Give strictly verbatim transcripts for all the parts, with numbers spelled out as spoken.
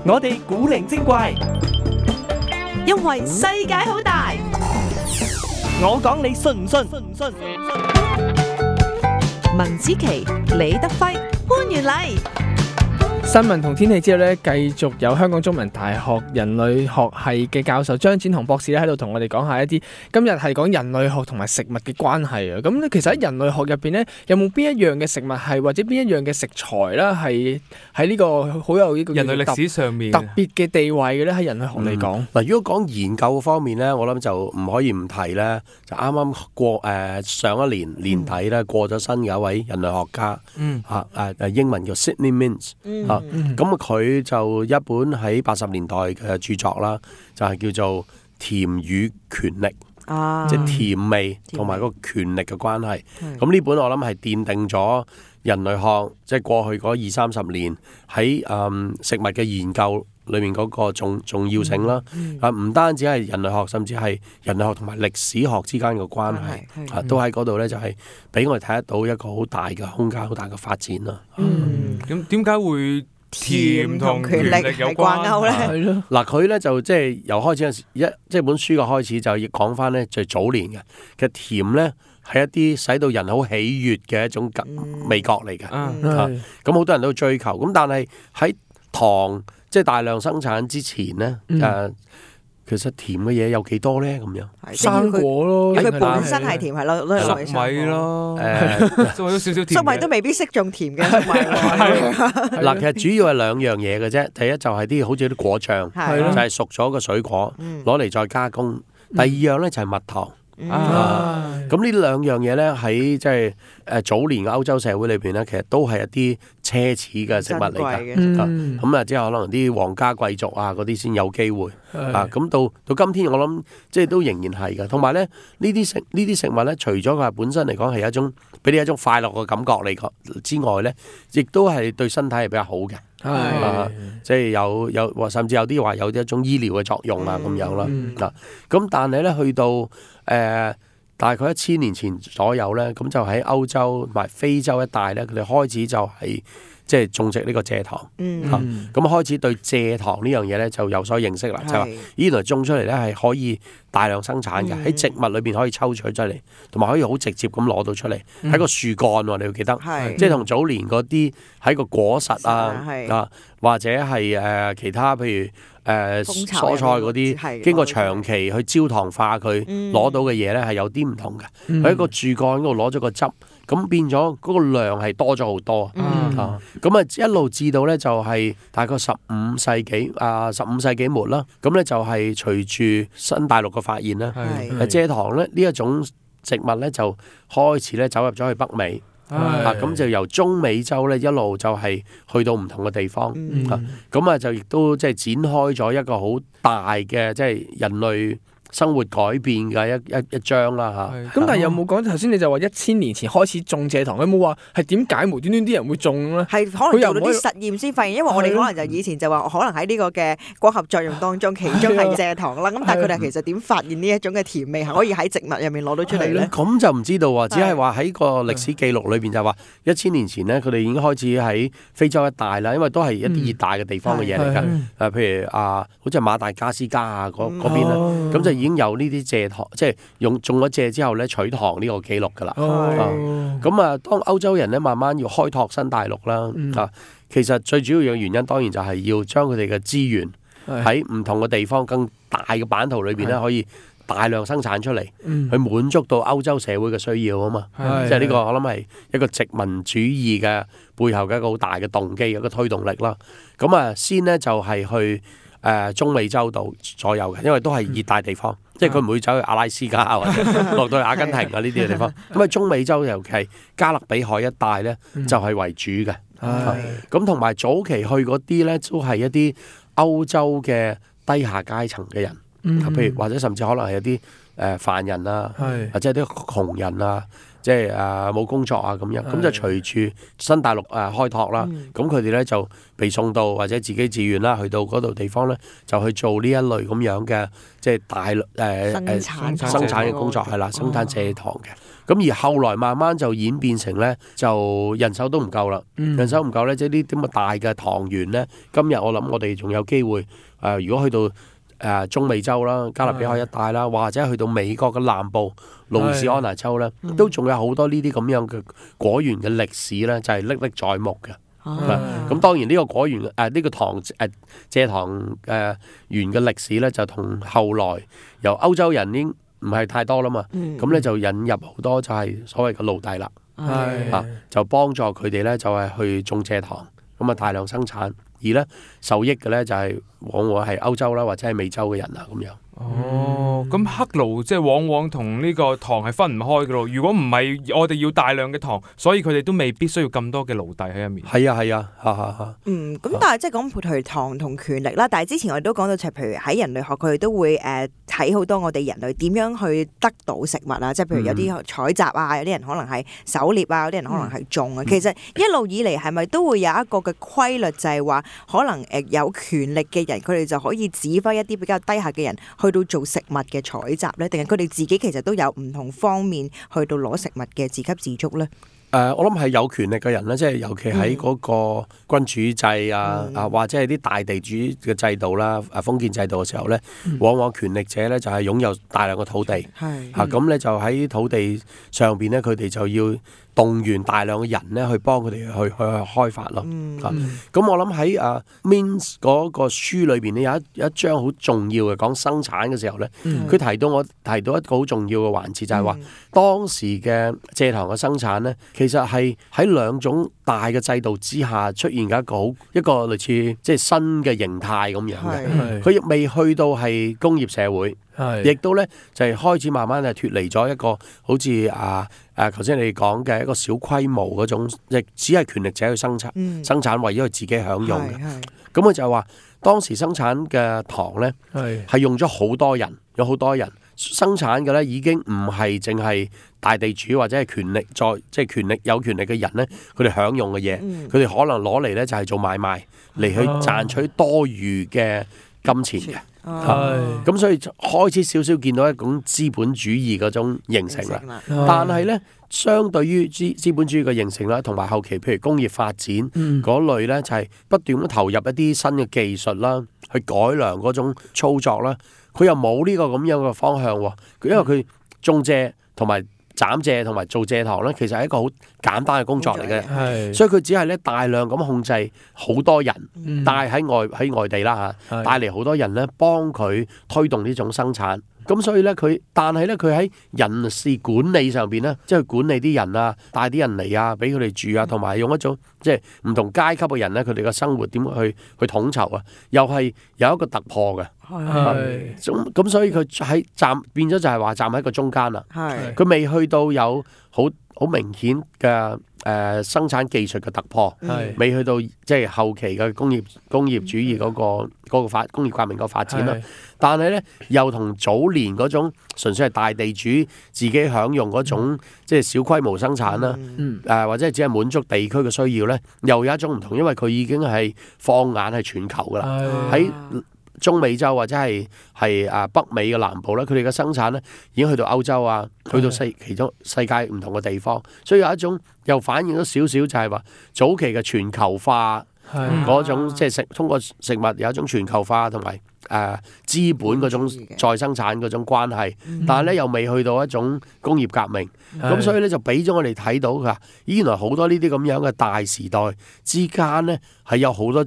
我哋古靈精怪，因為世界好大。我講你信唔信？信唔信？文子琪、李德輝、潘元禮。新聞同天氣之後咧，繼續有香港中文大學人類學系嘅教授張展鴻博士咧喺度同我哋講下一啲今日係講人類學同埋食物嘅關係啊。咁咧其實喺人類學入邊咧，有冇邊一樣嘅食物係或者邊一樣嘅食材啦，係喺呢個好有呢個人類歷史上面特別嘅地位嘅咧？喺人類學嚟講，嗱、嗯，如果講研究方面咧，我諗就唔可以唔提咧，就啱啱過誒、呃、上一年年底咧、嗯、過咗身嘅一位人類學家，嗯嚇誒誒英文叫 Sidney Mintz，嗯嚇，咁佢就一本喺八十年代嘅著作啦，就係、是、叫做《甜與權力》，啊、即係甜味同埋個權力嘅關係。咁呢本我諗係奠定咗人類學即係、就是、過去嗰二三十年喺誒、嗯、食物嘅研究裏面嗰個重重要性啦。嗯嗯、啊，唔單止係人類學，甚至係人類學同埋歷史學之間嘅關係，啊，都喺嗰度咧，就係俾我哋睇得到一個好大嘅空間、好大嘅發展啦。嗯，咁點解會甜同權力有關係咧？嗱，佢咧就即係由開始一即係本書嘅開始就要講翻咧，就係早年嘅其實甜咧係一啲使到人好喜悅嘅一種味覺嚟嘅。嗯，咁好多人都追求。咁但係喺糖即係大量生產之前咧，誒。其實甜嘅嘢有幾多咧？咁樣生果咯，佢本身係甜係咯，都係粟米咯，誒，粟米都少少甜。粟米都未必識種甜嘅粟米。嗱，其實主要係兩樣嘢嘅啫。第一就係啲好似啲果醬，就係熟咗嘅水果，攞嚟再加工。第二樣咧就係蜜糖。啊！咁呢兩樣嘢咧喺即係誒早年嘅歐洲社會裏邊咧，其實都係一啲奢侈嘅食物嚟㗎。咁啊，即係可能啲皇家貴族啊嗰啲先有機會啊。咁到到今天，我諗即係都仍然係㗎。同埋咧，呢啲食呢啲食物咧，除咗佢本身嚟講係一種俾你一種快樂嘅感覺嚟講之外咧，亦都係對身體係比較好嘅。係、啊，即係有有，甚至有啲話有一種醫療嘅作用啊，咁樣啦。嗱、嗯，咁但係咧，去到誒、呃、大概一千年前左右咧，咁就喺歐洲同埋非洲一帶咧，佢哋開始就係、是。即係種植呢個蔗糖，咁、嗯啊、開始對蔗糖呢樣嘢咧就有所認識啦。是就話原來種出嚟咧係可以大量生產嘅，喺、嗯、植物裏邊可以抽取出嚟，同埋可以好直接咁攞到出嚟。喺、嗯、個樹幹喎，你要記得，是即係同早年嗰啲喺個果實啊啊，或者係誒、呃、其他譬如誒、呃、蔬菜嗰啲，經過長期去焦糖化佢攞、嗯、到嘅嘢咧係有啲唔同嘅。喺、嗯、個樹幹嗰度攞咗個汁。咁變咗嗰個量係多咗好多、嗯、啊！咁啊一路至到咧就係大概十五世紀啊，十五世紀末啦。咁咧就係隨住新大陸嘅發現啦，蔗糖咧呢一種植物咧就開始咧走入咗去北美啊。咁就由中美洲咧一路就係去到唔同嘅地方、嗯、啊。咁啊就亦都即係展開咗一個好大嘅即係人類生活改變嘅一一一章啦嚇，咁但係有冇講頭先？你就話一千年前開始種蔗糖，有冇話係點解無端端啲人會種咧？係可能做到啲實驗先發現，因為我哋可能就以前就話可能喺呢個嘅光合作用當中，其中係蔗糖啦。咁但係佢哋其實點發現呢一種嘅甜味係可以喺植物入面攞到出嚟咧？咁就唔知道喎，只係話喺個歷史記錄裏邊就話一千年前咧，佢哋已經開始喺非洲一帶啦，因為都係一啲熱帶嘅地方嘅嘢嚟㗎。誒，譬如啊，好似馬達加斯加啊嗰嗰邊啦，咁就已經有呢啲蔗糖，即係用種咗蔗之後咧取糖呢個記錄㗎啦。咁啊，當歐洲人咧慢慢要開拓新大陸啦，嗯、啊，其實最主要嘅原因當然就係要將佢哋嘅資源喺唔同嘅地方、更大嘅版圖裏邊咧，可以大量生產出嚟，嗯、去滿足到歐洲社會嘅需要啊嘛。即係呢個我諗係一個殖民主義嘅背後嘅一個好大嘅動機，一個推動力啦。咁啊，先呢就係去。誒、呃、中美洲度左右嘅，因為都係熱帶地方，嗯、即係佢唔會走去阿拉斯加或者落到去阿根廷啊呢啲嘅地方。咁啊，中美洲尤其係加勒比海一帶咧，就係、是、為主嘅。咁同埋早期去嗰啲咧，都係一啲歐洲嘅低下階層嘅人，嗯、譬如或者甚至可能係一啲誒犯人啊，是或者啲窮人啊。即係誒冇工作啊咁樣，咁就隨住新大陸誒、呃、開拓啦，咁佢哋咧就被送到或者自己自願啦，去到嗰度地方咧，就去做呢一類咁樣嘅即係大誒誒、呃、生產嘅工作係啦，生產蔗糖嘅。咁而後來慢慢就演變成咧，就人手都唔夠啦。嗯、人手唔夠咧，即係呢啲咁嘅大嘅糖園咧。今日我諗我哋仲有機會誒、呃，如果去到誒、呃、中美洲啦、加勒比海一帶啦，或者去到美國嘅南部路易斯安那州咧，都仲有好多呢啲咁樣嘅果園嘅歷史咧，就係歷歷在目嘅。咁當然呢個果園誒呢、呃這個糖誒蔗糖誒園嘅歷史咧，就同後來由歐洲人已經唔係太多啦嘛，咁咧、嗯、就引入好多就係所謂嘅奴隸啦，係啊就幫助佢哋咧就係去種蔗糖，咁啊大量生產，而咧受益嘅咧就係往往係歐洲啦或者係美洲嘅人啊咁樣。哦，咁黑奴即係往往同呢個糖係分唔開嘅咯。如果唔係我哋要大量嘅糖，所以佢哋都未必需要咁多嘅奴隸喺入面。係啊係啊，哈哈哈。嗯，咁但係即係講譬如糖同權力啦。但係之前我哋都講到，就係譬如喺人類學，佢哋都會誒睇好多我哋人類點樣去得到食物啊。即係譬如有啲採集啊，有啲人可能係狩獵啊，有啲人可能係種啊。嗯、其實一路以嚟係咪都會有一個嘅規律，就係話可能誒有權力嘅人，佢哋就可以指揮一啲比較低下嘅人去到做食物嘅採集咧，定係佢哋自己其實都有唔同方面去到攞食物嘅自給自足咧？誒、呃，我諗係有權力嘅人咧，即係尤其喺嗰個君主制啊，嗯、啊或者係啲大地主嘅制度啦，誒封建制度嘅時候咧，嗯、往往權力者咧就係擁有大量嘅土地，嚇咁咧就喺土地上邊咧，佢哋就要動員大量嘅人咧去幫佢哋去去去開發咯。嗯、啊，咁我諗喺啊 Means 嗰個書裏邊咧有一有一章好重要嘅講生產嘅時候咧，佢、嗯、提到我提到一個好重要嘅環節，就係、是、話、嗯、當時嘅蔗糖嘅生產咧，其實係喺兩種大嘅制度之下出現嘅一個好一個類似即係新嘅形態咁樣嘅。佢亦未去到係工業社會。亦都咧就係、是、開始慢慢係脫離咗一個好似啊誒頭先你講嘅一個小規模嗰種，亦只係權力者去生產、嗯、生產為咗佢自己享用嘅。咁佢就係話當時生產嘅糖咧係用咗好多人，有好多人生產嘅咧已經唔係淨係大地主或者係權力在即係權力有權力嘅人咧，佢哋享用嘅嘢，佢哋、嗯、可能攞嚟咧就係做買賣嚟去賺取多餘嘅金錢嘅。係，咁、哦、所以開始少少見到一種資本主義嗰種形成啦。但係咧，相對於資資本主義嘅形成啦，同埋後期譬如工業發展嗰、嗯、類咧，就係、是、不斷咁投入一啲新嘅技術啦，去改良嗰種操作啦。佢又冇呢個咁樣嘅方向喎，因為佢種蔗同埋斬蔗同埋做蔗糖咧，其實係一個好簡單嘅工作嚟嘅，係所以佢只係咧大量咁控制好多人，嗯、帶喺外喺外地啦嚇，帶嚟好多人咧幫佢推動呢種生產。咁所以咧佢，但係咧佢喺人事管理上邊咧，即係管理啲人啊，帶啲人嚟啊，俾佢哋住啊，同埋用一種即係唔同階級嘅人咧，佢哋嘅生活點去去統籌啊，又係有一個突破嘅。係咁咁，所以佢喺站變咗就係話站喺個中間啦。係佢未去到有好好明顯嘅誒、呃、生產技術嘅突破，係未去到即係後期嘅工業工業主義嗰、嗰個嗰、嗰個發工業革命個發展啦。但係咧又同早年嗰種純粹係大地主自己享用嗰種、嗯、即係小規模生產啦，誒、嗯呃、或者係只係滿足地區嘅需要咧，又有一種唔同，因為佢已經係放眼係全球噶啦，喺中美洲或者係係啊北美嘅南部咧，佢哋嘅生產咧已經去到歐洲啊，去到世其中世界唔同嘅地方，所以有一種又反映咗少少就係話早期嘅全球化嗰種，即係食通過食物有一種全球化同埋誒資本嗰種再生產嗰種關係，但係咧又未去到一種工業革命，咁所以咧就俾咗我哋睇到㗎，原來好多呢啲咁樣嘅大時代之間咧係有好多。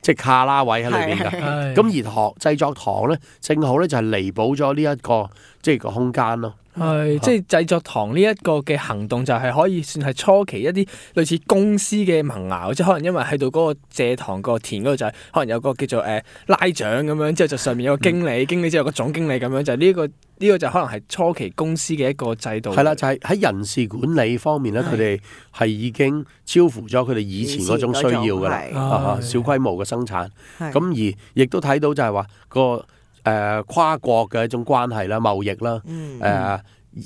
即係卡拉位喺裏邊㗎，咁而糖製作糖咧，正好咧就係彌補咗呢一個即係個空間咯。係，即係製作糖呢一個嘅行動就係可以算係初期一啲類似公司嘅萌芽，即係可能因為喺度嗰個蔗糖個田嗰度就係可能有個叫做誒、呃、拉長咁樣，之後就上面有個經理，嗯、經理之後有個總經理咁樣，就係呢一個呢、呢個就可能係初期公司嘅一個制度。係啦，就係、是、喺人事管理方面咧，佢哋係已經超乎咗佢哋以前嗰種需要㗎啦，啊、小規模嘅生產。咁而亦都睇到就係話個。誒、呃、跨國嘅一種關係啦、貿易啦，誒、嗯呃、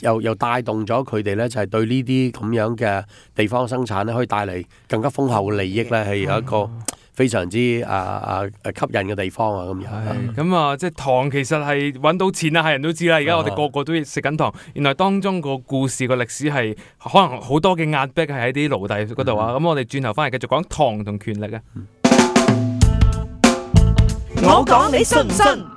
又又帶動咗佢哋咧，就係、是、對呢啲咁樣嘅地方生產咧，可以帶嚟更加豐厚嘅利益咧，係有一個非常之啊啊吸引嘅地方啊咁樣。咁啊，即係糖其實係揾到錢啊，係人都知啦。而家我哋個個都食緊糖，原來當中個故事個歷史係可能好多嘅壓迫係喺啲奴隸嗰度啊。咁、嗯、我哋轉頭翻嚟繼續講糖同權力啊。我講你信唔信？